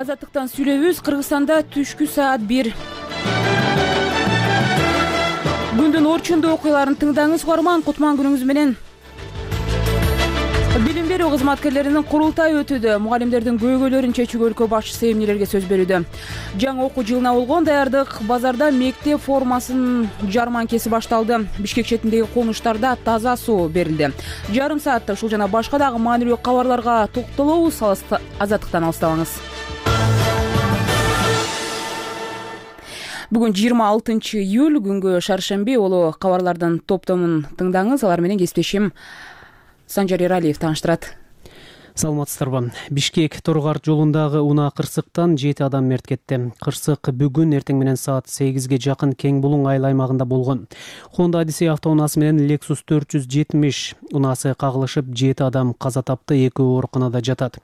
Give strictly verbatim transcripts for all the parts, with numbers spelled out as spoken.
Азаттыктан сүйлөйбүз. Кыргызстанда түшкү саат бир. Күндүн орчундуу окуяларын тыңдаңыз угарман. Кутман күнүңүз менен. Билим берүү кызматкерлеринин курултайы өтүүдө. Мугалимдердин көйгөйлөрүн чечүүгө өлкө башчысы эмнелерге сөз берүүдө. Жаңы окуу жылына болгон даярдык. Базарда мектеп формасын жарманкеси башталды. Бишкек четиндеги конуштарда таза суу берилди. Жарым саатта ушул жана башка дагы маанилүү кабарларга токтолобуз. Азаттыктан алыстабаңыз. Бүгүн жыйырма алтынчы июль, күнгө шаршемби. Улуу кабарлардын топтомун тыңдаңыз. Алар менен кесиптешим Санжар Эралиев тааныштырат. Саламатсыздарбы. Бишкек Торгар жолундагы унаа кырсыктан жети адам мерт кетти. Кырсык бүгүн эртең менен саат сегизге жакын Кең Булуң айыл аймагында болгон. Honda Odyssey автоунаасы менен Lexus төрт жүз жетимиш унаасы кагылышып, жети адам каза тапты, экөө ооруканада жатат.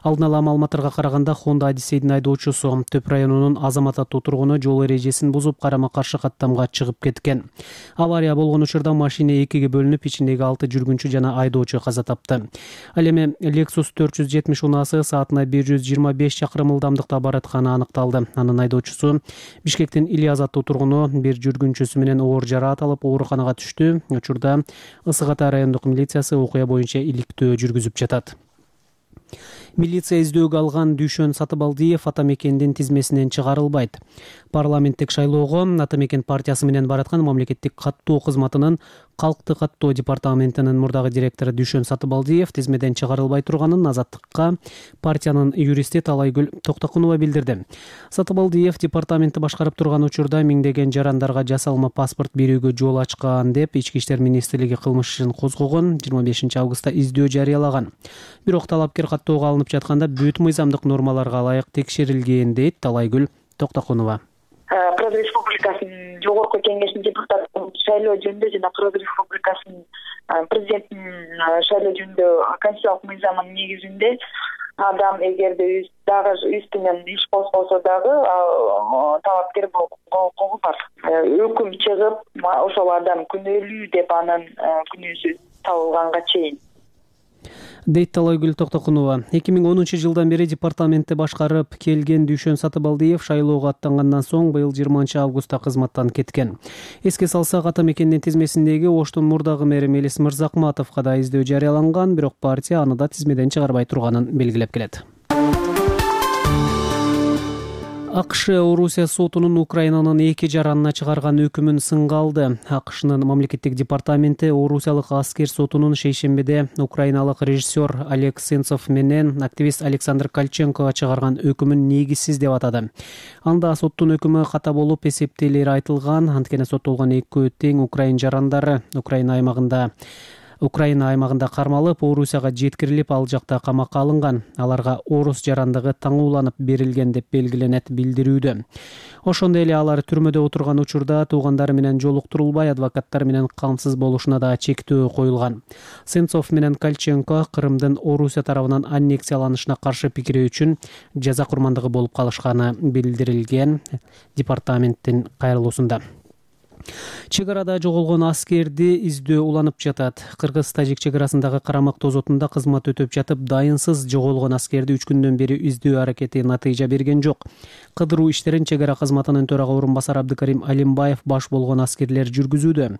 Алдын ала маалыматтарга караганда, Honda Odyssey'дин айдоочусу Төп районунун Азамат аттуу тургуну жол эрежесин бузуп, карама-каршы каттамга чыгып кеткен. Авария болгон учурда машина экиге бөлүнүп, ичиндеги алты жүргүнчү жана айдоочу каза тапты. Ал эми Lexus төрт жүз жетимиш унаасы саатына бир жүз жыйырма беш чакырым ылдамдыкта баратканы аныкталды. Анын айдоочусу Бишкектин Ильяз аттуу тургуну бир жүргүнчүсү менен оор жараат алып ооруканага түштү. Учурда Ысык Ата райондук милициясы окуя боюнча иликтөө жүргүзүп жатат. Милиция издөөгө алган Дүйшөн Сатыбалдиев ата мекендин тизмесинен чыгарылбайт. Парламенттик шайлоого ата мекен партиясы менен бараткан мамлекеттик каттоо кызматынын Калкты каттоо департаментинин мурдагы директору Дүйшөн Сатыбалдиев тизмеден чыгарылбай турганын Азаттыкка партиянын юристи Талайгүл Токтокунова билдирди. Сатыбалдиев департаментти башкарып турган учурда миңдеген жарандарга жасалма паспорт берүүгө жол ачкан деп Ички иштер министрлиги кылмыш ишин козгогон. жыйырма бешинчи августта издөө жарыялаган. Бирок талапкер каттоого алынып жатканда бүт мыйзамдык нормаларга ылайык текшерилген, дейт Талайгүл Токтокунова. Кыргыз Республикасынын жогорку кеңешинин депутаттын шайлоо жөнүндө жана Кыргыз Республикасынын президентинин шайлоо жөнүндө конституциялык мыйзамынын негизинде адам эгерде дагы үстүнөн иш козголсо дагы талапкер болууга укугу бар. Өкүм чыгып, ошол адам күнөөлүү деп анын күнөөсү табылганга чейин, дейт Талайгүл Токтокунова. эки миң онунчу жылдан бери департаментти башкарып келген Дүйшөн Сатыбалдиев шайлоого аттангандан соң быйыл жыйырманчы августта кызматтан кеткен. Эске салсак, ата мекендин тизмесиндеги Оштун мурдагы мэри Мелис Мырзакматовго да издөө жарыяланган, бирок партия аны да тизмеден чыгарбай турганын белгилеп келет. АКШ Орусия сотунун Украинанын эки жаранына чыгарган өкүмүн сынга алды. АКШнын мамлекеттик департаменти Орусиялык аскер сотунун шейшембиде украиналык режиссер Олег Сенцов менен активист Александр Кальченкого чыгарган өкүмүн негизсиз деп атады. Анда соттун өкүмү ката болуп эсептелери айтылган. Анткени соттолгон экөө тең украин жарандары Украина аймагында Украина аймагында кармалып, Орусияга жеткирилип, ал жакта камакка алынган. Аларга орус жарандыгы таңууланып берилген деп белгиленет билдирүүдө. Ошондой эле алар түрмөдө отурган учурда туугандары менен жолуктурулбай, адвокаттар менен камсыз болушуна да чектөө коюлган. Сенцов менен Кальченко Крымдын Орусия тарабынан аннексияланышына каршы пикири үчүн жаза курмандыгы болуп калышканы билдирилген департаменттин кайрылуусунда. Чек арада жоголгон аскерди издөө уланып жатат. Кыргыз-тажик чек арасындагы Карамак тозотунда кызмат өтөп жатып, дайынсыз жоголгон аскерди үч күндөн бери издөө аракети натыйжа берген жок. Кыдыруу иштерин чек ара кызматынын төрага орун басары Абдыкарим Алимбаев баш болгон аскерлер жүргүзүүдө.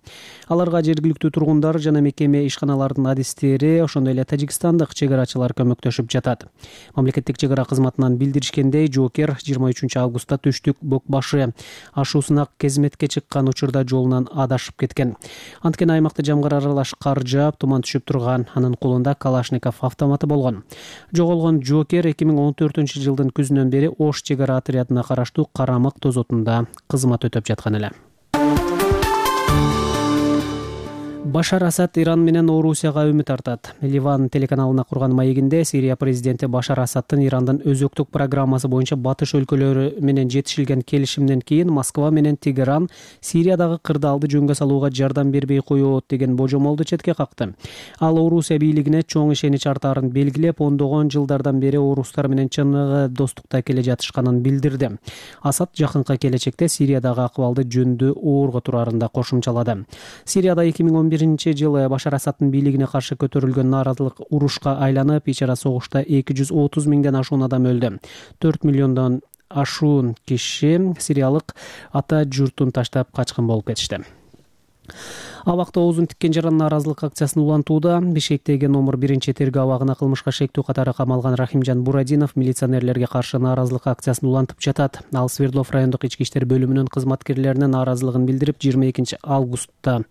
Аларга жергиликтүү тургундар жана мекеме ишканалардын адистери, ошондой эле тажикстандык чек арачылар көмөктөшүп жатат. Мамлекеттик чек ара кызматынан билдиришкендей, жоокер жыйырма үчүнчү августта Түштүк Бокбашы ашуусуна кызметке чыккан учурда жолунан адашып кеткен. Анткени аймакта жамгыр аралаш кар жаап, туман түшүп турган. Анын колунда Калашников автоматы болгон. Жоголгон жоокер эки миң он төртүнчү жылдын күзүнөн бери Ош чек ара отрядына караштуу Карамак тозотунда кызмат өтөп жаткан эле. Башар Асад Иран менен Орусияга үмүт артат. Ливан телеканалына курган маегинде Сирия президенти Башар Асадтын Ирандын өзөктүк программасы боюнча батыш өлкөлөрү менен жетишилген келишимден кийин Москва менен Тегеран Сириядагы кырдаалды жөнгө салууга жардам бербей коет деген божомолду четке какты. Ал Орусия бийлигине чоң ишенич артаарын белгилеп, ондогон жылдардан бери орустар менен чыныгы достукта келе жатышканын билдирди. Асад жакынкы келечекте Сириядагы акыбалды жөндүү оорго турарын да кошумчалады. Сирияда эки миң он бир биринчи жылы Башар Асадтын бийлигине каршы көтөрүлгөн нааразылык урушка айланып, ич ара согушта эки жүз отуз миңден ашуун адам өлдү. төрт миллиондон ашуун киши Сириялык ата журтун таштап качкан болуп кетишти. Абакта оозун тиккен жаран нааразылык акциясын улантууда Бишкектеги номер биринчи тергөө абагына кылмышка шектүү катары камалган Рахимжан Бурадинов милиционерлерге каршы нааразылык акциясын улантып жатат. Ал Свердлов райондук ички иштер бөлүмүнүн кызматкерлерине нааразылыгын билдирип, жыйырма экинчи августта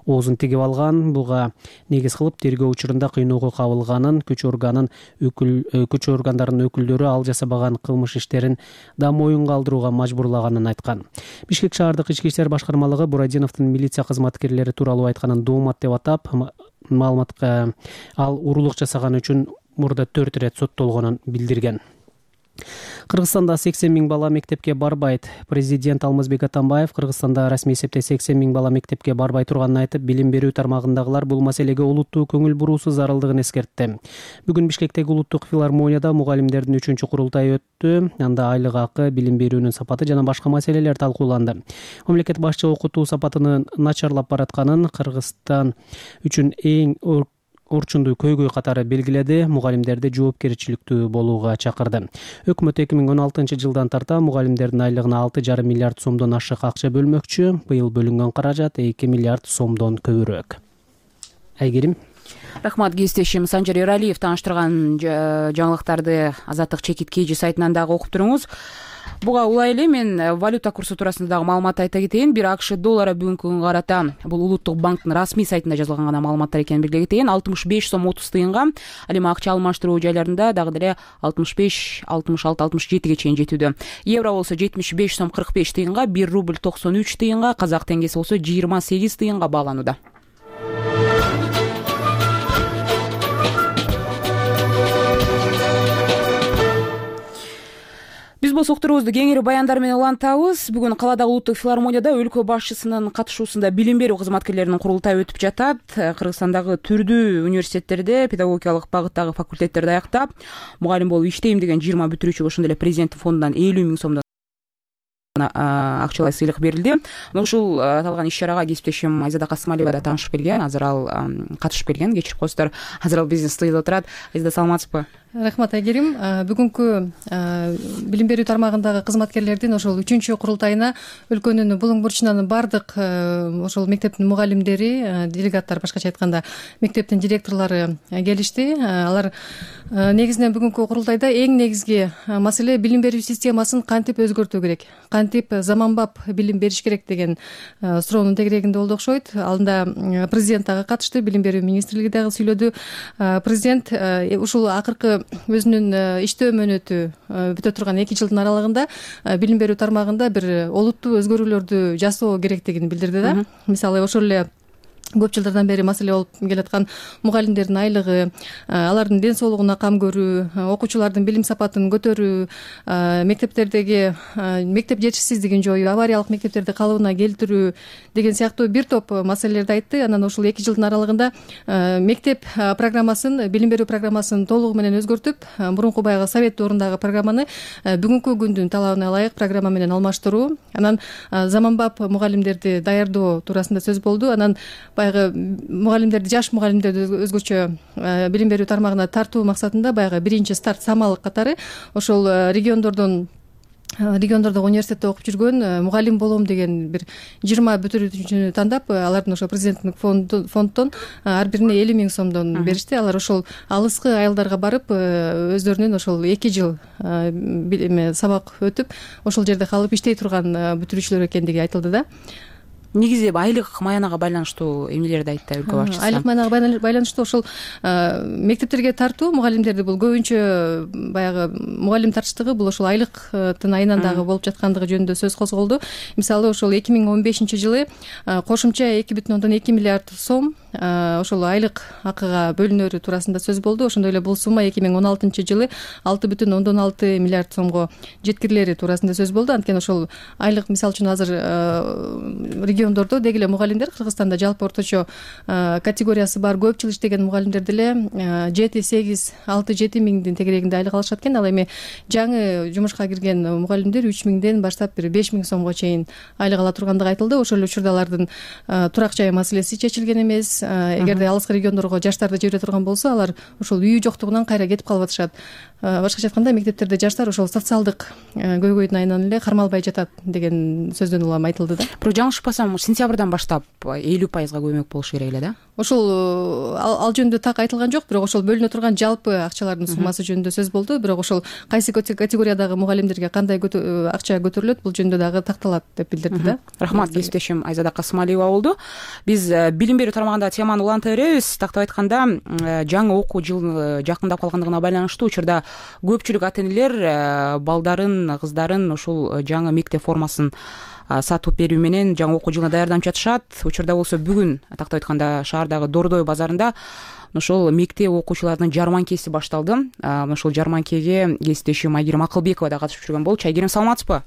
оозун тигип алган. Буга негиз кылып тергөө учурунда кыйноого кабылганын, күч органын өкүл күч органдарынын өкүлдөрү ал жасабаган кылмыш иштерин да моюнга алдырууга мажбурлаганын айткан. Бишкек шаардык ички иштер башкармалыгы Бурадиновдун милиция кызматкерлери тууралуу айтканын доомат деп атап, маалыматка ал уруулук жасаганы үчүн мурда төрт ирет соттолгонун билдирген. Кыргызстанда сексен миң бала мектепке барбайт. Президент Алмазбек Атамбаев Кыргызстанда расмий эсепте сексен миң бала мектепке барбай турганын айтып, билим берүү тармагындагылар бул маселеге улуттуу көңүл буруусу зарылдыгын эскертти. Бүгүн Бишкектеги улуттук филармонияда мугалимдердин үчүнчү курултайы өттү. Анда айлык акы, билим берүүнүн сапаты жана башка маселелер талкууланды. Мамлекет башчы окутуу сапатынын начарлап баратканын, Кыргызстан үчүн эң орчундуу көйгөй катары белгиледи, мугалимдерди жоопкерчиликтүү болууга чакырды. Өкмөт эки миң он алтынчы жылдан тарта мугалимдердин айлыгына алты жарым миллиард сомдон ашык акча бөлмөкчү. Быйыл бөлүнгөн каражат эки миллиард сомдон көбүрөөк. Айгерим. Рахмат, кесиптешим Санжар Эралиев тааныштырган жаңылыктарды Азаттык чекит кейжи сайтынан дагы окуп туруңуз. Буга улай эле мен валюта курсу туурасында дагы маалымат айта кетейин. Бир АКШ доллары бүгүнкү күнгө карата бул улуттук банктын расмий сайтында жазылган гана маалыматтар экенин белгилей кетейин. алтымыш беш сом отуз тыйынга, ал эми акча алмаштыруу жайларында дагы деле алтымыш беш, алтымыш алты, алтымыш жетиге чейин жетүүдө. Евро болсо жетимиш беш сом кырк беш тыйынга, бир рубль токсон үч тыйынга, казак теңгеси болсо жыйырма сегиз тыйынга бааланууда. Биз бул суктурубузду кеңири баяндар менен улантабыз. Бүгүн каладагы улуттук филармонияда өлкө башчысынын катышуусунда билим берүү кызматкерлеринин курултайы өтүп жатат. Кыргызстандагы түрдүү университеттерде педагогикалык багыттагы факультеттерди аяктап, мугалим болуп иштейм деген жыйырма бүтүрүүчүгө ошондой эле президенттин фондунан элүү миң сомдон акчалай сыйлык берилди. Ушул аталган иш-чарага кесиптешим Айзада Касымалиева да таанышып келген. Азыр ал катышып келген. Кечирип коесуздар. Азыр ал бизнес студияда отурат. Айзада, саламатсызбы? Рахмат, Айгерим. Бүгүнкү билим берүү тармагындагы кызматкерлердин ошол үчүнчү курултайына өлкөнүн булуң бурчунан бардык ошол мектептин мугалимдери, делегаттар, башкача айтканда мектептин директорлору келишти. Алар негизинен бүгүнкү курултайда эң негизги маселе билим берүү системасын кантип өзгөртүү керек, кантип заманбап билим бериш керек деген суроонун тегерегинде болду окшойт. Алдында президент дагы катышты, билим берүү министрлиги дагы сүйлөдү. Президент ушул акыркы өзүнүн иштөө мөөнөтү бүтө турган эки жылдын аралыгында билим берүү тармагында бир олуттуу өзгөрүүлөрдү жасоо керектигин билдирди да. Мисалы, ошол эле көп жылдардан бери маселе болуп келаткан мугалимдердин айлыгы, алардын ден соолугуна кам көрүү, окуучулардын билим сапатын көтөрүү, мектептердеги мектеп жетишсиздигин жоюу, авариялык мектептерди калыбына келтирүү деген сыяктуу бир топ маселелерди айтты. Анан ушул эки жылдын аралыгында мектеп программасын, билим берүү программасын толугу менен өзгөртүп, мурунку баягы совет доорундагы программаны бүгүнкү күндүн талабына ылайык программа менен алмаштыруу, анан заманбап мугалимдерди даярдоо туурасында сөз болду. Анан баягы мугалимдерди, жаш мугалимдерди өзгөчө билим берүү тармагына тартуу максатында баягы биринчи старт самал катары ошол региондордон региондордогу университетте окуп жүргөн, мугалим болом деген бир жыйырма бүтүрүүчүнү тандап, алардын ошо президенттик фонддон ар бирине элүү миң сомдон беришти. Алар ошол алыскы айылдарга барып, өздөрүнүн ошол эки жыл сабак өтүп, ошол жерде калып иштей турган бүтүрүүчүлөр экендиги айтылды да. Негизи айлык маянага байланыштуу эмнелерди айтты өлкө башчысы? Айлык маянага байланыштуу ошол мектептерге тартуу мугалимдерди бул көбүнчө баягы мугалим тартыштыгы бул ошол айлыктын айынан дагы болуп жаткандыгы жөнүндө сөз козголду. Мисалы, ошол эки миң он бешинчи жылы кошумча эки бүтүн ондон эки миллиард сом ошол айлык акыга бөлүнөрү туурасында сөз болду. Ошондой эле бул сумма эки миң он алтынчы жылы алты бүтүн ондон алты миллиард сомго жеткирилери туурасында сөз болду. Анткени ошол айлык, мисалы үчүн азыр региондордо деги эле мугалимдер Кыргызстанда жалпы орточо категориясы бар көп жыл иштеген мугалимдер деле жети сегиз алты жети миңдин тегерегинде айлык алышат экен. Ал эми жаңы жумушка кирген мугалимдер үч миңден баштап бир беш миң сомго чейин айлык ала тургандыгы айтылды. Ошол эле учурда алардын турак жай маселеси чечилген эмес. Эгерде алыскы региондорго жаштарды жибере турган болсо, алар ошол үй жоктугунан кайра кетип калып атышат. Башкача айтканда, мектептерде жаштар ошол социалдык көйгөйдүн айынан эле кармалбай жатат деген сөздөн улам айтылды да. Бирок жаңылышпасам, сентябрдан баштап элүү пайызга көмөк болуш керек эле да. Ошол ал жөнүндө так айтылган жок, бирок ошол бөлүнө турган жалпы акчалардын суммасы жөнүндө сөз болду. Бирок ошол кайсы категориядагы мугалимдерге кандай акча көтөрүлөт, бул жөнүндө дагы такталат деп билдирди да. Рахмат, кесиптешим Айзада Касымалиева болду. Биз билим берүү тармагында теманы уланта беребиз. Тактап айтканда, жаңы окуу жылы жакындап калгандыгына байланыштуу учурда көпчүлүк ата энелер балдарын, кыздарын ушул жаңы мектеп формасын сатып берүү менен жаңы окуу жылына даярданып жатышат. Учурда болсо бүгүн тактап айтканда шаардагы Дордой базарында ошол мектеп окуучуларынын жарманкеси башталды. Ошол жарманкеге кесиптешим Айгерим Акылбекова да катышып жүргөн болчу. Айгерим, саламатсызбы?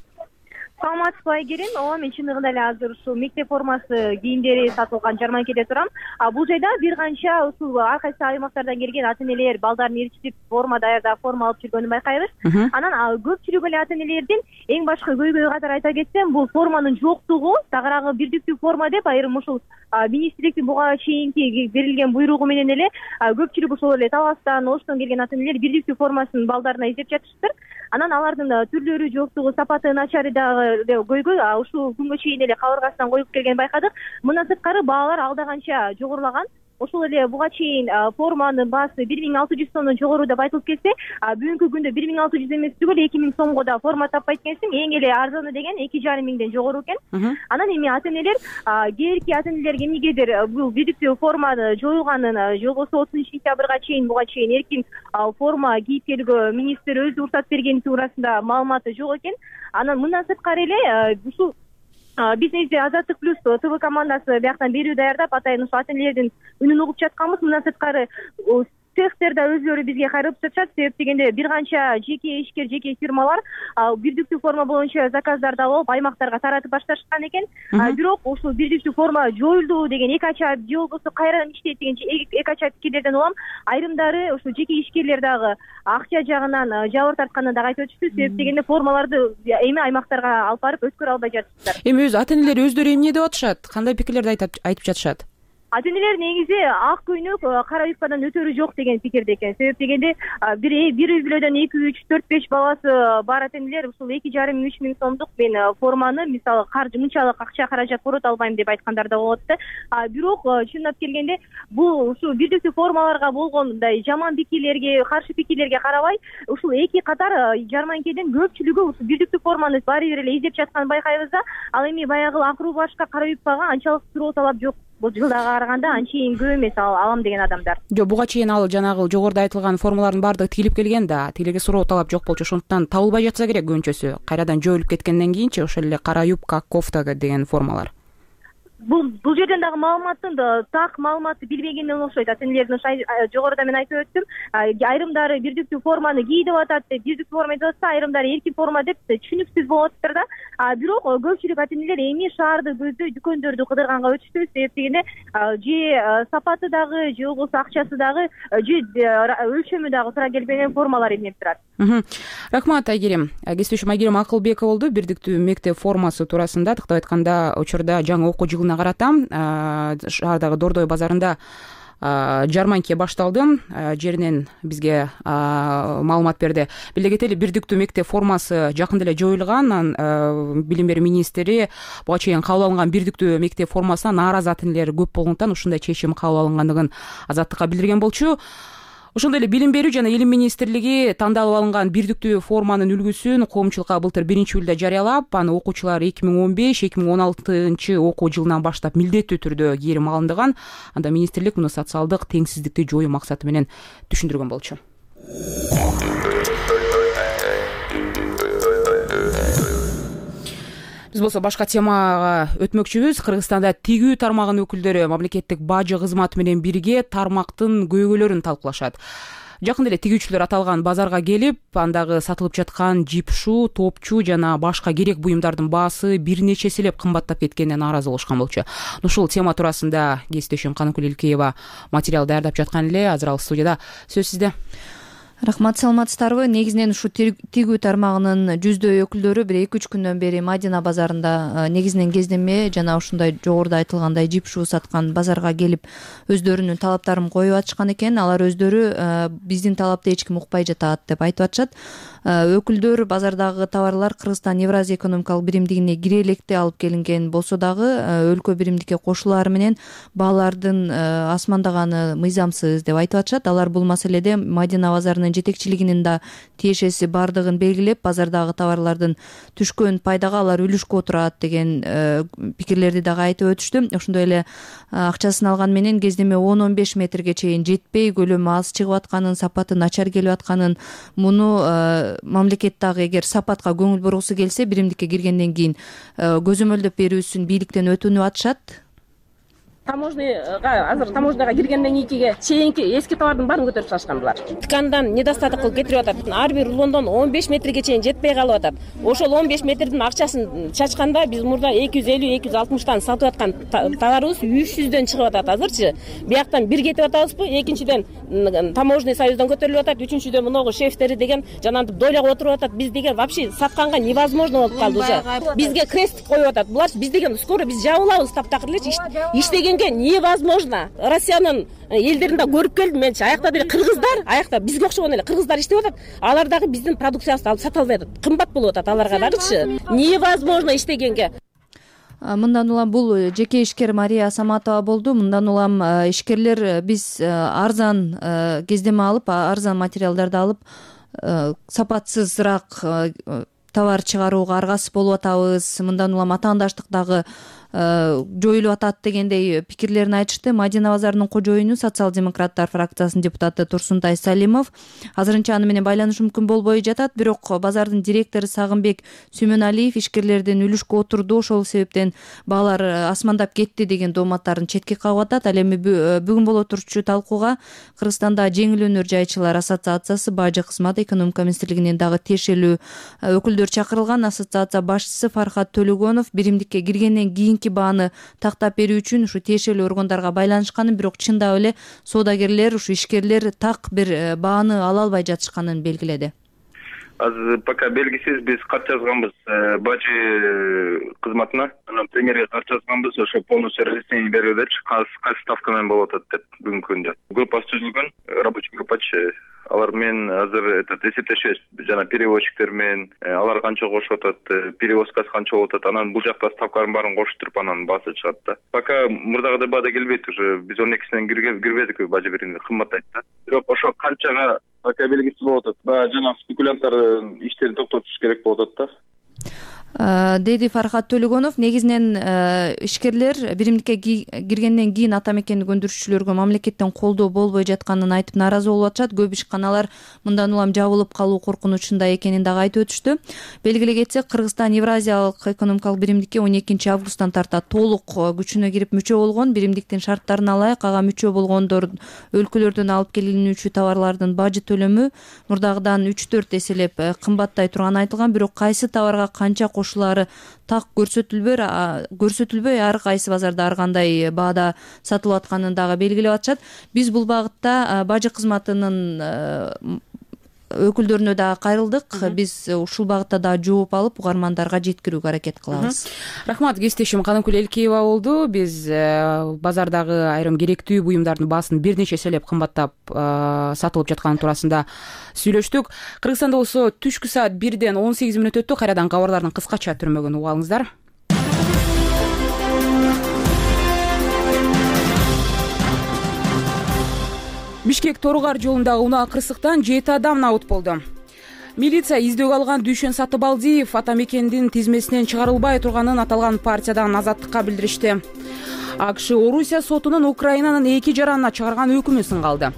Саламатсызбы, Айгерим. Ооба, мен чындыгында эле азыр ушул мектеп формасы кийимдери сатылган жарманкеде турам. Бул жайда бир канча ушул ар кайсы аймактардан келген ата энелер балдарын ээрчитип форма даярдап, форма алып жүргөнүн байкайбыз. Анан көпчүлүк эле ата энелердин эң башкы көйгөйү катары айта кетсем, бул форманын жоктугу, тагыраагы бирдиктүү форма деп айрым ушул министрликтин буга чейинки берилген буйругу менен эле көпчүлүк ошол эле Таластан, Оштон келген ата энелер бирдиктүү формасын балдарына издеп жатышыптыр. Анан алардын түрлөрү жоктугу, сапаты начары дагы көйгөй ушул күнгө чейин эле кабыргасынан коюп келгенин байкадык. Мындан сырткары баалар алда канча жогорулаган. Ошол эле буга чейин форманын баасы бир миң алты жүз сомдон жогору деп айтылып келсе, бүгүнкү күндө бир миң алты жүз эмес түгүл эки миң сомго да форма таппайт экенсиң. Эң эле арзаны деген эки жарым миңден жогору экен. Анан эми ата энелер, кээинки ата энелер эмнегедир бул бирдиктүү форманы жоюлганын, же болбосо отузунчу сентябрга чейин буга чейин эркин форма кийип келүүгө министр өзү уруксат бергени туурасында маалыматы жок экен. Анан мындан сырткары эле ушул бизнесте Азаттык плюс ТВ командасы бияктан берүү даярдап, атайын ушул ата энелердин үнүн угуп жатканбыз. Мындан сырткары цехтер да өзлөрү бизге кайрылып жатышат. Себеп дегенде бир канча жеке ишкер, жеке фирмалар бирдиктүү форма боюнча заказдарды алып аймактарга таратып башташкан экен. Бирок ушул бирдиктүү форма жоюлду деген эки ача, же болбосо кайрадан иштейт деген эки ача пикирлерден улам айрымдары ушул жеке ишкерлер дагы акча жагынан жабыр тартканын дагы айтып өтүштү. Себеп дегенде формаларды эми аймактарга алып барып өткөрө албай жатышат. Эми өз ата энелер өздөрү эмне деп атышат? Кандай пикирлерди айтып жатышат? Ата энелер негизи ак көйнөк, кара юбкадан өтөрү жок деген пикирде экен. Себеп дегенде бир бир үй бүлөдөн эки, үч, төрт, беш баласы бар ата энелер ушул эки жарым үч миң сомдук мен форманы мисалы каржы мынчалык акча каражат корото албайм деп айткандар да болот да. Бирок чындап келгенде бул ушул бирдиктүү формаларга болгон мындай жаман пикирлерге, каршы пикирлерге карабай, ушул эки катар жарманкеден көпчүлүгү ушул бирдиктүү форманы баары бир эле издеп жатканын байкайбыз да. Ал эми баягы ак рубашка, кара юбкага анчалык суроо талап жок. Бул жылдага караганда анчейин көп эмес алам деген адамдар. Жок, буга чейин ал жанагы жогоруда айтылган формалардын баардыгы тигилип келген да, тилерге суроо талап жок болчу. Ошондуктан табылбай жатса керек көбүнчөсү. Кайрадан жоюлуп кеткенден кийинчи ошол эле кара юбка, кофта деген формалар. Бул бул жерден дагы маалыматтын так маалыматты билбегенден окшойт. Ата энелердин жогоруда мен айтып өттүм. Айрымдары бирдиктүү форманы кий деп атат, бирдиктүү форма деп атса, айрымдары эркин форма деп түшүнүксүз болуп атыптыр да. Бирок көпчүлүк ата энелер эми шаарды көздөй дүкөндөрдү кыдырганга өтүштү. Себеп дегенде же сапаты дагы, же болбосо акчасы дагы, же өлчөмү дагы туура келбеген формалар илинип турат. Рахмат, Айгерим. Кесиптешим Айгерим Акылбекова болду. Бирдиктүү мектеп формасы туурасында тактап айтканда, учурда жаңы окуу жылына карата шаардагы Дордой базарында жарманке башталды. Жеринен бизге маалымат берди. Биле кетели, бирдиктүү мектеп формасы жакында эле жоюлган. Анан билим берүү министри буга чейин кабыл алынган бирдиктүү мектеп формасына нааразы ата энелер көп болгондуктан ушундай чечим кабыл алынгандыгын Азаттыкка билдирген болчу. Ошондой эле Билим берүү жана Илим министрлиги тандалып алынган бирдиктүү форманын үлгүсүн коомчулукка былтыр биринчи июлда жарыялап, аны окуучулар эки миң он беш эки миң он алтынчы окуу жылынан баштап милдеттүү түрдө кийим алындыган. Анда министрлик муну социалдык теңсиздикти жоюу максаты менен түшүндүргөн болчу. Биз болсо башка темага өтмөкчүбүз. Кыргызстанда тигүү тармагынын өкүлдөрү мамлекеттик бажы кызматы менен бирге тармактын көйгөйлөрүн талкуулашат. жакында эле тигүүчүлөр аталган базарга келип, андагы сатылып жаткан жипшу, топчу жана башка керек буюмдардын баасы бир нече эселеп кымбаттап кеткенине нааразы болушкан болчу. Ушул тема туурасында кесиптешим Каныкүл Элкеева материал даярдап жаткан эле. Азыр ал студияда. Сөз сизде. Рахмат, саламатсыздарбы? Негизинен ушу тигүү тармагынын жүздөй өкүлдөрү бир эки үч күндөн бери Мадина базарында негизинен кездеме жана ушундай жогоруда айтылгандай жипшу саткан базарга келип өздөрүнүн талаптарын коюп атышкан экен. Алар өздөрү биздин талапты эч ким укпай жатат деп айтып атышат. Өкүлдөр базардагы товарлар Кыргызстан Евразия экономикалык биримдигине кире электе алып келинген болсо дагы өлкө биримдикке кошулаары менен баалардын асмандаганы мыйзамсыз деп айтып атышат. Алар бул маселеде Мадина базарынын жетекчилигинин да тиешеси бардыгын белгилеп, базардагы товарлардын түшкөн пайдага алар үлүшкө отурат деген пикирлерди дагы айтып өтүштү. Ошондой эле акчасын алган менен кездеме он он беш метрге чейин жетпей, көлөмү аз чыгып атканын, сапаты начар келип атканын, муну мамлекет дагы эгер сапатка көңүл бургусу келсе, биримдикке киргенден кийин көзөмөлдөп берүүсүн бийликтен өтүнүп атышат. Таможняга азыр таможняга киргенден кийинки чейинки эски товардын баарын көтөрүп салышкан булар. Ткандан недостаток кылып кетирип атат. Ар бир рулондон он беш метрге чейин жетпей калып атат. Ошол он беш метрдин акчасын чачканда биз мурда эки жүз элүү эки жүз алтымыштан сатып аткан товарыбыз үч жүздөн чыгып атат азырчы. Бияктан бир кетип атабызбы? Экинчиден таможный союздан көтөрүлүп атат. Үчүнчүдөн муногу шефтери деген жанагынтип дойлого отуруп атат. Биз деген вообще сатканга невозможно болуп калды уже. Бизге крест коюп атат. Булар биз деген скоро биз жабылабыз таптакыр элечи. Иштеген невозможно. Россиянын элдеринде көрүп келдим менчи. Аякта деле кыргыздар, аякта бизге окшогон эле кыргыздар иштеп атат. Алар дагы биздин продукциябызды алып сата албай атат. Кымбат болуп атат аларга дагычы. Невозможно иштегенге. Мындан улам бул жеке ишкер Мария Саматова болду. Мындан улам ишкерлер биз арзан кездеме алып, арзан материалдарды алып, сапатсызыраак товар чыгарууга аргасыз болуп атабыз. Мындан улам атаандаштык дагы жоюлуп атат дегендей пикирлерин айтышты. Мадина базарынын кожоюну социал-демократтар фракциясынын депутаты Турсунтай Салимов азырынча аны менен байланыш мүмкүн болбой жатат. Бирок базардын директору Сагынбек Сүймөналиев ишкерлердин үлүшкө отурду, ошол себептен баалар асмандап кетти деген дооматтарын четке кагып атат. Ал эми бүгүн боло турчу талкууга Кыргызстанда жеңил өнөр жайчылар ассоциациясы, Бажы кызмат экономика министрлигинин дагы тиешелүү өкүлдөр чакырылган. Ассоциация башчысы Фархат Төлөгөнов биримдикке киргенден кийин бааны тактап берүү үчүн ушу тиешелүү органдарга байланышканын, бирок чындап эле соодагерлер, ушу ишкерлер так бир бааны ала албай жатышканын белгиледи. Азыр пока белгисиз биз кат жазганбыз Бажы кызматына, анан премьерге кат жазганбыз, ошо полностью разъяснение берүүдечи, кайсы ставка менен болуп атат деп бүгүнкү күндө. Группасы түзүлгөн, рабочий группачы. Алар менен азыр этот эсептешебиз, жана перевозчиктер менен алар канча кошуп атат, перевозкасы канча болуп атат, анан бул жакта ставкалардын баарын коштуруп анан баасы чыгат да. Пока мурдагыдай баада келбейт, уже биз он экисинен кирбедик Бажы биримде, кымбаттайт да. Бирок ошо канчага пока белгисиз болуп атат. Баягы жана спекулянттардын иштерин токтотуш керек болуп атат да. деди Фархат Төлөгөнов. Негизинен ишкерлер биримдикке киргенден кийин ата мекенди көндүрүүчүлөргө мамлекеттен колдоо болбой жатканын айтып нааразы болуп атышат. Көп ишканалар мындан улам жабылып калуу коркунучунда экенин дагы айтып өтүштү. Белгилей кетсек, Кыргызстан Евразиялык экономикалык биримдикке он экинчи августтан тарта толук күчүнө кирип мүчө болгон. Биримдиктин шарттарына ылайык ага мүчө болгондор өлкөлөрдөн алып келинүүчү товарлардын бажы төлөмү мурдагыдан үч төрт эселеп кымбаттай турганы айтылган. Бирок кайсы товарга канча ушулары так көрсөтүлбөй көрсөтүлбөй ар кайсы базарда ар кандай баада сатылып атканын дагы белгилеп атышат. Биз бул багытта Бажы кызматынын өкүлдөрүнө дагы кайрылдык. Биз ушул багытта дагы жооп алып угармандарга жеткирүүгө аракет кылабыз. Рахмат, кесиптешим Каныкүл Элкеева болду. Биз базардагы айрым керектүү буюмдардын баасын бир нече эселеп кымбаттап сатылып жатканы туурасында сүйлөштүк. Кыргызстанда болсо түшкү саат бирден он сегиз мүнөт өттү. Кайрадан кабарлардын кыскача түрмөгүн угуп алыңыздар. Бишкек Торугар жолундагы унаа кырсыктан жети адам набыт болду. Милиция издөөгө алган Дүйшөн Сатыбалдиев ата мекендин тизмесинен чыгарылбай турганын аталган партиядан азаттыкка билдиришти. АКШ Орусия сотунун Украинанын эки жаранына чыгарган өкүмү сынгалды.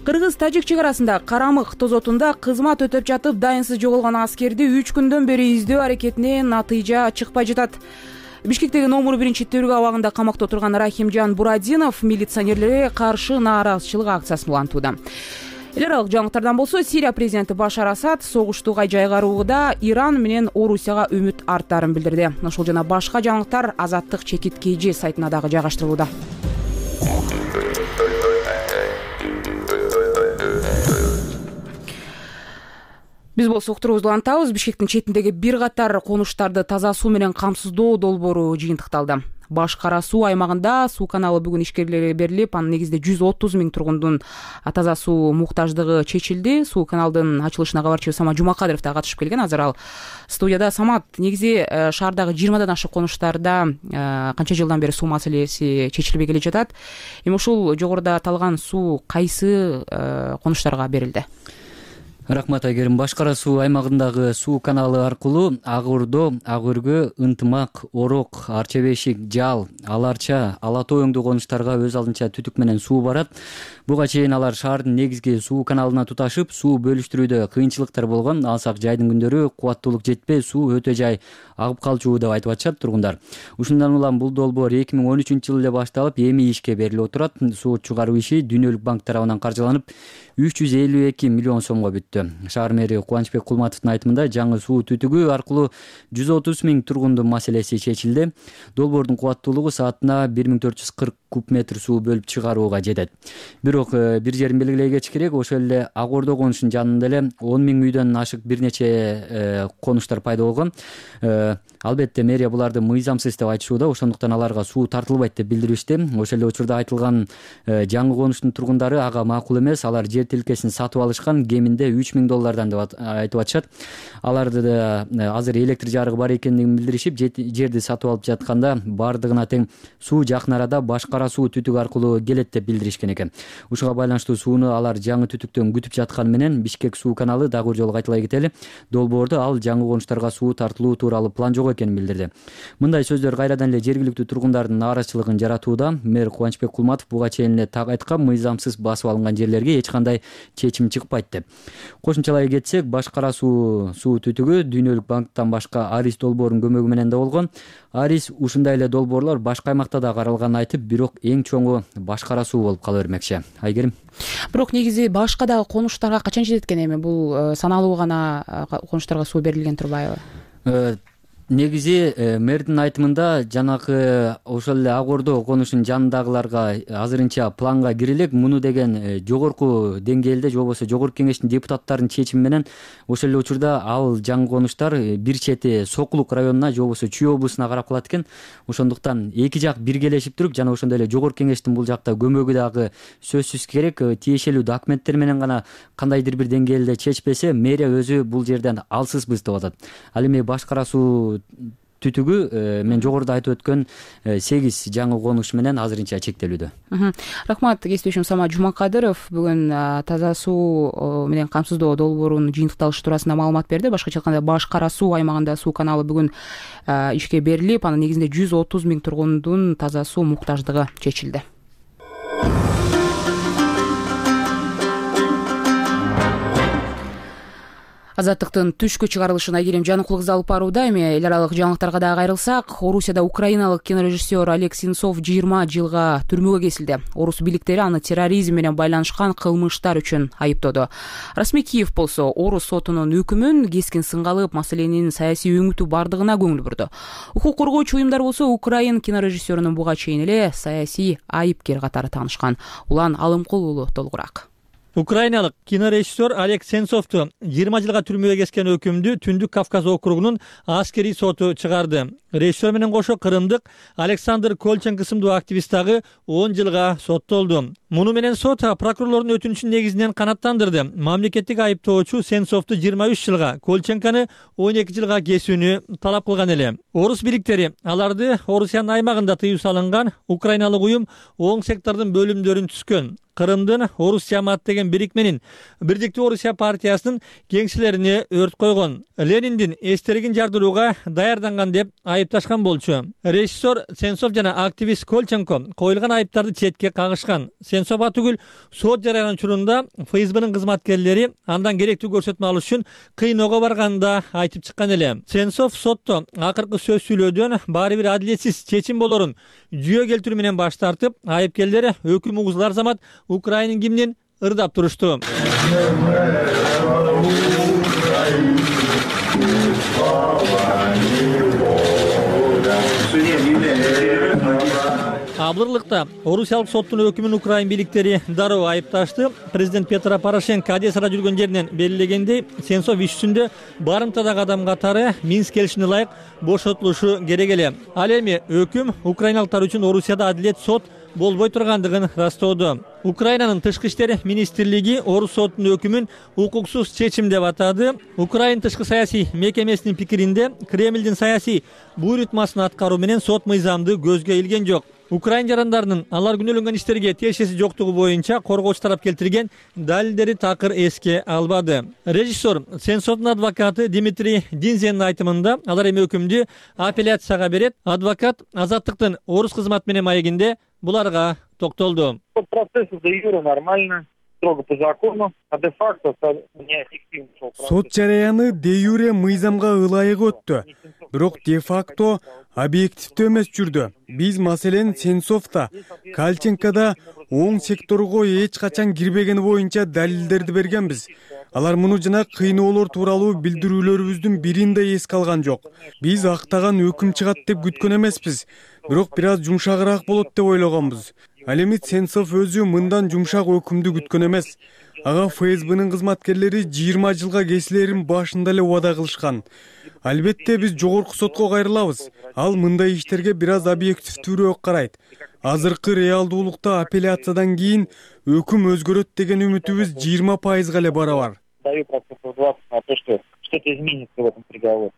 Кыргыз-Тажик чек арасында Карамык тозотунда кызмат өтөп жатып дайынсыз жоголгон аскерди үч күндөн бери издөө аракетине натыйжа чыкпай жатат. Бишкектеги номер биринчи тергөө абагында камакта отурган Рахимжан Бурадинов милиционерлерге каршы нааразычылык акциясын улантууда. эл аралык жаңылыктардан болсо, Сирия президенти Башар Асад согуштууга жайгаруууда Иран менен Орусияга үмүт арттарын билдирди. Ошол жана башка жаңылыктар Азаттык чекит kg сайтына дагы жайгаштырылууда. Биз болсо уктуруубузду улантабыз. Бишкектин четиндеги бир катар конуштарды таза суу менен камсыздоо долбоору жыйынтыкталды. Баш Кара суу аймагында суу каналы бүгүн ишкерлерге берилип, анын негизинде жүз отуз миң тургундун таза суу муктаждыгы чечилди. Суу каналдын ачылышына кабарчы Самат Жумакадыров да катышып келген. Азыр ал студияда. Самат, негизи шаардагы жыйырмадан ашык конуштарда канча жылдан бери суу маселеси чечилбей келе жатат. Эми ушул жогоруда аталган суу кайсы конуштарга берилди? Рахмат Айгерим. Баш Кара суу аймагындагы суу каналы аркылуу Ак Ордо, Ак Өргө, Ынтымак, Орок, Арча Бешик, Жал, Аларча, Ала Тоо өңдүү конуштарга өз алдынча түтүк менен суу барат. Буга чейин алар шаардын негизги суу каналына туташып, суу бөлүштүрүүдө кыйынчылыктар болгон. Алсак жайдын күндөрү кубаттуулук жетпей, суу өтө жай агып калчу деп айтып атышат тургундар. Ушундан улам бул долбоор эки миң он үчүнчү жылы эле башталып, эми ишке берилип отурат. Суу чыгаруу иши Дүйнөлүк банк тарабынан каржыланып, үч жүз элүү эки миллион сомго бүттү. Шаар мэри Кубанычбек Кулматовдун айтымында, жаңы суу түтүгү аркылуу жүз отуз миң тургундун маселеси чечилди. Долбоордун кубаттуулугу саатына бир миң төрт жүз кырк куб метр суу бөлүп чыгарууга жетет. Бирок бир жерин белгилей кетиш керек, ошол эле Ак Ордо конушунун жанында эле он миң үйдөн ашык бир нече конуштар пайда болгон. Албетте мэрия буларды мыйзамсыз деп айтышууда, ошондуктан аларга суу тартылбайт деп билдиришти. Ошол эле учурда айтылган жаңы конуштун тургундары ага макул эмес, алар жер тилкесин сатып алышкан, кеминде үч миң доллардан деп айтып атышат. Аларды да азыр электр жарыгы бар экендигин билдиришип, жерди сатып алып жатканда бардыгына тең суу жакын арада Баш Кара суу түтүк аркылуу келет деп билдиришкен экен. Ушуга байланыштуу сууну алар жаңы түтүктөн күтүп жатканы менен Бишкек суу каналы, дагы бир жолу кайталай кетели, долбоордо ал жаңы конуштарга суу тартылуу тууралуу план жок экенин билдирди. Мындай сөздөр кайрадан эле жергиликтүү тургундардын нааразычылыгын жаратууда. Мэр Кубанычбек Кулматов буга чейин эле так айткан, мыйзамсыз басып алынган жерлерге эч кандай чечим чыкпайт деп. Кошумчалай кетсек, Баш Кара суу суу түтүгү Дүйнөлүк банктан башка Арис долбоорунун көмөгү менен да болгон. Арис ушундай эле долбоорлор башка аймакта да каралганын айтып, бирок эң чоңу Баш Кара суу болуп кала бермекчи. Айгерим. Бирок негизи башка дагы конуштарга качан жетет экен? Эми бул саналуу гана конуштарга суу берилген турбайбы? Негизи мэрдин айтымында жанагы ошол эле Ак Ордо конушунун жанындагыларга азырынча планга кирилек. Муну деген жогорку деңгээлде, же болбосо жогорку кеңештин депутаттарынын чечими менен ошол эле учурда ал жаңы конуштар бир чети Сокулук районуна, же болбосо Чүй облусуна карап калат экен. Ошондуктан эки жак биргелешип туруп, жана ошондой эле жогорку кеңештин бул жакта көмөгү дагы сөзсүз керек. Тиешелүү документтер менен гана кандайдыр бир деңгээлде чечпесе, мэрия өзү бул жерден алсызбыз деп атат. Ал эми Баш Кара суу түтүгү мен жогоруда айтып өткөн сегиз жаңы конуш менен азырынча чектелүүдө. Рахмат кесиптешим Самат Жумакадыров бүгүн таза суу менен камсыздоо долбоорунун жыйынтыкталышы туурасында маалымат берди. Башкача айтканда, Баш Кара суу аймагында суу каналы бүгүн ишке берилип, анын негизинде жүз отуз миң тургундун таза суу муктаждыгы чечилди. Азаттыктын түшкү чыгарылышына Айгерим Жаныкулов алып барууда. Эми эл аралык жаңылыктарга дагы кайрылсак, Орусияда украиналык кинорежиссер Олег Сенцов жыйырма жылга түрмөгө кесилди. Орус бийликтери аны терроризм менен байланышкан кылмыштар үчүн айыптоду. Расмий Киев болсо Орус сотунун өкүмүн кескин сынга алып, маселенин саясий өңүтү бардыгына көңүл бурду. Укук коргоочу уюмдар болсо Украин кинорежиссерунун буга чейин эле саясий айыпкер катары таанышкан. Улан Алымкул уулу толугураак. Украиналык кинорежиссер Олег Сенцовду жыйырма жылга түрмөгө кескен өкүмдү Түндүк Кавказ округунун аскерий соту чыгарды. Режиссер менен кошо кырымдык Александр Колченко сымдуу активист дагы он жылга соттолду. Муну менен сот прокурорлордун өтүнүчүн негизинен канааттандырды. Мамлекеттик айыптоочу Сенцовду жыйырма үч жылга, Колченкону он эки жылга кесүүнү талап кылган эле. Орус бийликтери аларды Орусиянын аймагында тыюу салынган украиналык уюм оң сектордун бөлүмдөрүн түзгөн. Кырымдын Орус Жамаат деген бирикменин Бирдиктүү Орусия партиясынын кеңселерине өрт койгон. Лениндин эстелигин жардырууга даярданган деп айыпташкан болчу. Режиссер Сенцов жана активист Колченко коюлган айыптарды четке кагышкан. Сенцов атүгүл сот жарыян учурунда ФСБнын кызматкерлери андан керектүү көрсөтмө алыш үчүн кыйноого барганында айтып чыккан эле. Сенцов сотто акыркы сөз сүйлөөдөн баары бир адилетсиз чечим болорун жүйө келтирүү менен баш тартып, айыпкерлер өкүм угузулар замат Украинин гимнин ырдап турушту. Абдырлыкта орусиялык соттун өкүмүн украин бийликтери дароо айыпташты. Президент Петро Порошенко Одессада жүргөн жеринен белгилегендей, Сенцов иш жүзүндө барымтадагы адам катары Минск келишимине ылайык бошотулушу керек эле. Ал эми өкүм украиналыктар үчүн Орусияда адилет сот болбой тургандыгын растоодо. Украинанын тышкы иштер министрлиги орус сотунун өкүмүн укуксуз чечим деп атады. Украин тышкы саясий мекемесинин пикиринде Кремлдин саясий буйрутмасын аткаруу менен сот мыйзамды көзгө илген жок. Украин жарандарынын алар күнөөлөнгөн иштерге тиешеси жоктугу боюнча коргоочу тарап келтирген далилдери такыр эске албады. Режиссер Сенцовдун адвокаты Дмитрий Динзенин айтымында алар эми өкүмдү апелляцияга берет. Адвокат Азаттыктын орус кызматы менен маегинде буларга токтолду. Процесс де юре нормально, строго по закону, а де факто неэффективно. Сот жараяны де юре мыйзамга ылайык өттү. Бирок де факто объективдүү эмес жүрдү. Биз маселен Сенцовда, Колченкода оң секторго эч качан кирбегени боюнча далилдерди бергенбиз. Алар муну жана кыйноолор тууралуу билдирүүлөрүбүздүн бирин да эске алган жок. Биз актаган өкүм чыгат деп күткөн эмеспиз. Бирок бир аз жумшагыраак болот деп ойлогонбуз. Ал эми Сенцов өзү мындан жумшак өкүмдү күткөн эмес. Ага ФСБнын кызматкерлери жыйырма жылга кесилерин башында эле убада кылышкан. Албетте биз жогорку сотко кайрылабыз. Ал мындай иштерге бир аз объективдүүрөөк карайт. Азыркы реалдуулукта апелляциядан кийин өкүм өзгөрөт деген үмүтүбүз жыйырма пайызга эле барабар.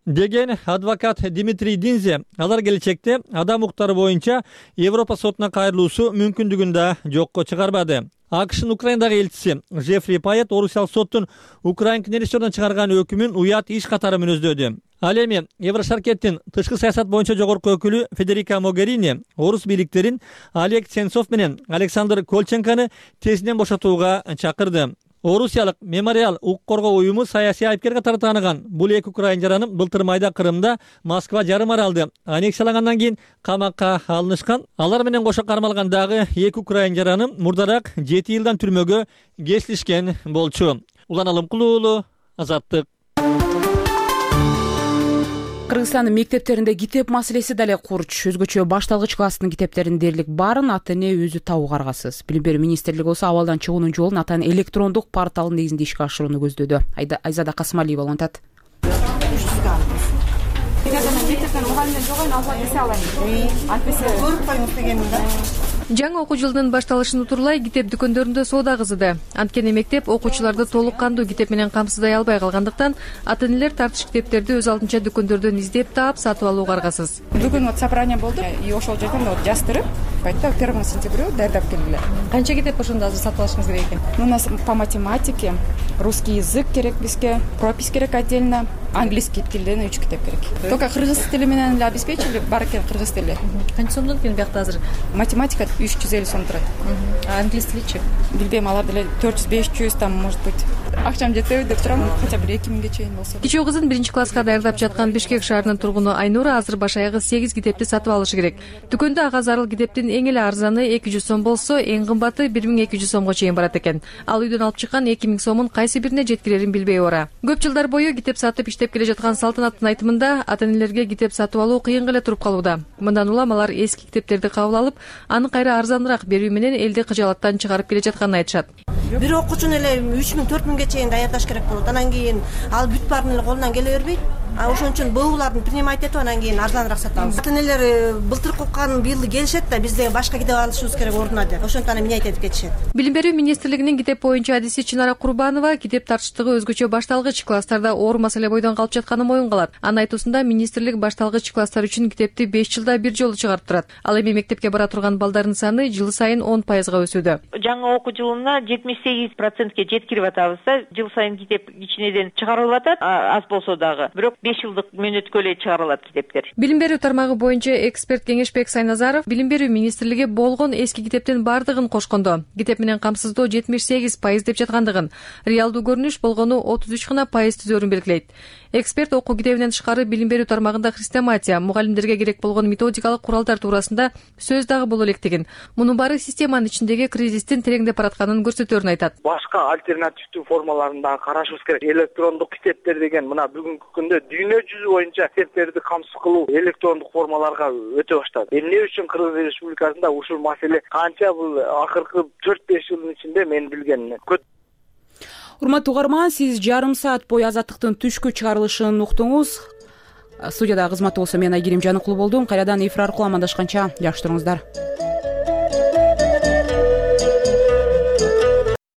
Деген адвокат Дмитрий Динзе, алар келечекте адам укуктары боюнча Европа сотуна кайрылуусу мүмкүндүгүн да жокко чыгарбады. АКШнын Украиндагы элчиси Жефри Пайет орусиялык соттун Украин князьдерден чыгарган өкүмүн уят иш катары мүнөздөөдү. Ал эми Еврошаркеттин тышкы саясат боюнча жогорку өкүлү Федерика Могерини орус бийликтерин Олег Сенцов менен Александр Колченконы тезинен бошотууга чакырды. Орусиялык Мемориал укук коргоо уюму саясий айыпкер катары тааныган бул эки украин жараны былтыр майда Крымда Москва жарым аралды аннексиялагандан кийин камакка алынышкан. Алар менен кошо кармалган дагы эки украин жараны мурдараак жети жылдан түрмөгө кесилишкен болчу. Улан Алымкулуу уулу, Азаттык. Кыргызстандын мектептеринде китеп маселеси дале курч. Өзгөчө башталгыч класстын китептерин дээрлик баарын ата эне өзү табууга аргасыз. Билим берүү министрлиги болсо абалдан чыгуунун жолун ата эне электрондук порталын негизинде ишке ашырууну көздөдү. Айзада Касымалиева улантат. Жаңы окуу жылынын башталышын утурлай китеп дүкөндөрүндө соода кызыды. Анткени мектеп окуучуларды толук кандуу китеп менен камсыздай албай калгандыктан ата энелер тартыш китептерди өз алдынча дүкөндөрдөн издеп таап сатып алууга аргасыз. Бүгүн вот собрание болду и ошол жерден вот жаздырып, айтты первого сентября даярдап келгиле. Канча китеп ошондо азыр сатып алышыңыз керек экен? У нас по математике, русский язык керек бизге, пропись керек отдельно, английский тилден үч китеп керек. Только кыргыз тили менен эле обеспечили, бар экен кыргыз тили. Канча сомдон экен биякта азыр? Математика үч жүз элүү сом турат. А англис тиличи? Билбейм, алар деле төрт жүз беш жүз там может быть. Акчам жетеби деп турам, хотя бы эки миңге чейин болсо. Кичүү кызын биринчи класска даярдап жаткан Бишкек шаарынын тургуну Айнура азыр баш аягы сегиз китепти сатып алышы керек. Дүкөндө ага зарыл китептин эң эле арзаны эки жүз сом болсо, эң кымбаты бир миң эки жүз сомго чейин барат экен. Ал үйдөн алып чыккан эки миң сомун кайсы бирине жеткирерин билбей ора. Көп жылдар бою китеп сатып иштеп келе жаткан Салтанаттын айтымында ата энелерге китеп сатып алуу кыйын эле туруп калууда. Мындан улам алар эски китептерди кабыл алып, аны кайра арзаныраак берүү менен элди кыжаалаттан чыгарып келе жатканын айтышат. Бир окуучуну эле үч миң төрт миңге чейин даярдаш керек болот. Анан кийин ал бүт баарын эле колунан келе бербейт. А ошон үчүн буулардын принимать этип анан кийин арзаныраак сатабыз. Ата энелер былтыркы окуган быйыл келишет да бизде башка китеп алышыбыз керек ордуна деп. Ошентип анан минять этип кетишет. Билим берүү министрлигинин китеп боюнча адиси Чынара Курбанова китеп тартыштыгы өзгөчө башталгыч класстарда оор маселе бойдон калып жатканын моюнга алат. Анын айтуусунда министрлик башталгыч класстар үчүн китепти беш жылда бир жолу чыгарып турат. Ал эми мектепке бара турган балдардын саны жыл сайын он пайызга өсүүдө. Жаңы окуу жылына жетимиш сегиз процентке жеткирип атабыз да, жыл сайын китеп кичинеден чыгарылып атат, аз болсо дагы. Бирок беш жылдык мөөнөткө эле чыгарылат китептер. Билим берүү тармагы боюнча эксперт Кеңешбек Сайназаров Билим берүү министрлиги болгон эски китептин бардыгын кошкондо, китеп менен камсыздоо жетимиш сегиз пайыз деп жаткандыгын, реалдуу көрүнүш болгону отуз үч гана пайыз түзөрүн белгилейт. Эксперт окуу китебинен тышкары билим берүү тармагында хрестоматия, мугалимдерге керек болгон методикалык куралдар туурасында сөз дагы боло электигин, мунун баары системанын ичиндеги кризистин тереңдеп баратканын көрсөтөөрүн айтат. Башка альтернативдүү формаларын дагы карашыбыз керек. Электрондук китептер деген мына бүгүнкү күндө дүйнө жүзү боюнча китептерди камсыз кылуу электрондук формаларга өтө баштады. Эмне үчүн Кыргыз Республикасында ушул маселе канча бул акыркы төрт беш жылдын ичинде мен билгенмин. Урматтуу угарман, сиз жарым саат бою Азаттыктын түшкү чыгарылышын уктуңуз. Студияда кызматта болсо мен Айгерим Жаныкулу болдум. Кайрадан эфир аркылуу амандашканча жакшы туруңуздар.